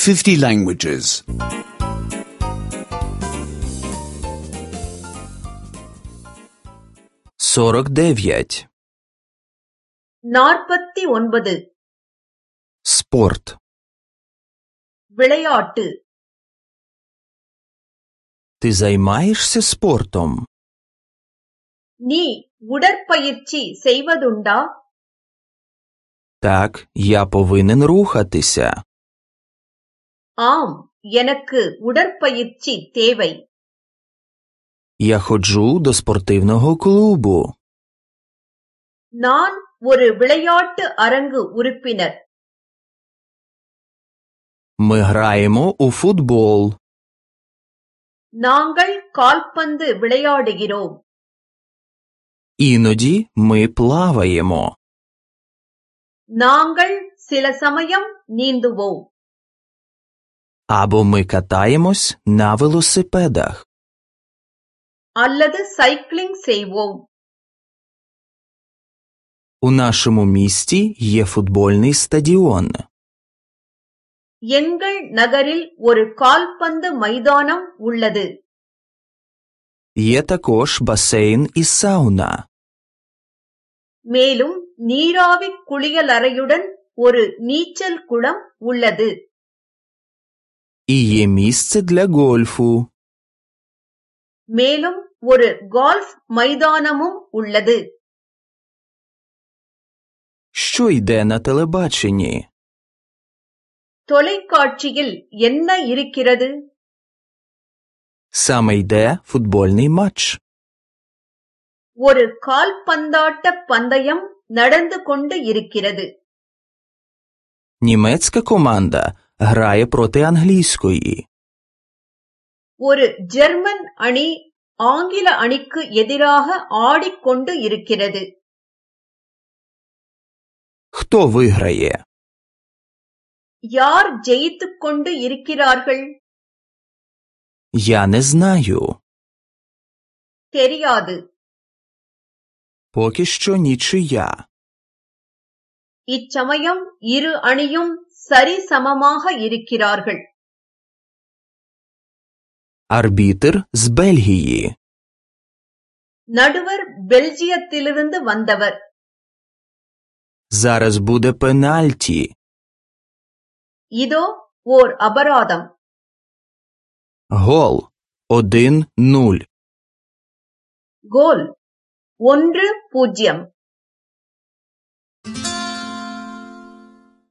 50 languages. 49. 49. Спорт. விளையாட்டு. Ты займаешься спортом? நீ உடற்பயிற்சி செய்வதுண்டா? Так, я повинен рухатися. ஆம், எனக்கு உடற்பயிற்சி தேவை. Я ходжу до спортивного клубу. நான் ஒரு விளையாட்டு அரங்கு உறுப்பினர். Ми граємо у футбол. நாங்கள் கால்பந்து விளையாடுகிறோம். Іноді ми плаваємо. நாங்கள் சில சமயம் நீந்துவோம். Або ми катаємось на велосипедах. அல்லது சைக்கிளிங் செய்வோம். У нашому місті є футбольний стадіон. எங்கள் நகரில் ஒரு கால்பந்து மைதானம் உள்ளது. Є також басейн і сауна. மேலும் நீராவி குளியலறையுடன் ஒரு நீச்சல் குளம் உள்ளது. І є місце для гольфу. மேலும் ஒரு கால்ஃப் மைதானமும் உள்ளது. Що йде на телебаченні? தொலைக்காட்சியில் என்ன இருக்கிறது? Саме йде футбольний матч. ஒரு கால்பந்தாட்ட பந்தயம் நடந்து கொண்டு இருக்கிறது. Німецька команда грає проти англійської. ஒரு ஜெர்மன் அணி ஆங்கில அணிக்கு எதிராக ஆடிக்கொண்டு இருக்கிறது. Хто виграє? யார் ஜெயித்துக் கொண்டு இருக்கிறார்கள்? Я не знаю. தெரியாது. Поки що нічия. இச்சமயம் இரு அணியும் சரிசமமாக இருக்கிறார்கள். Арбітр з Бельгії. நடுவர் பெல்ஜியத்திலிருந்து வந்தவர். Зараз буде пенальті. இதோ ஓர் அபராதம். Гол 1-0. கோல் 1-0.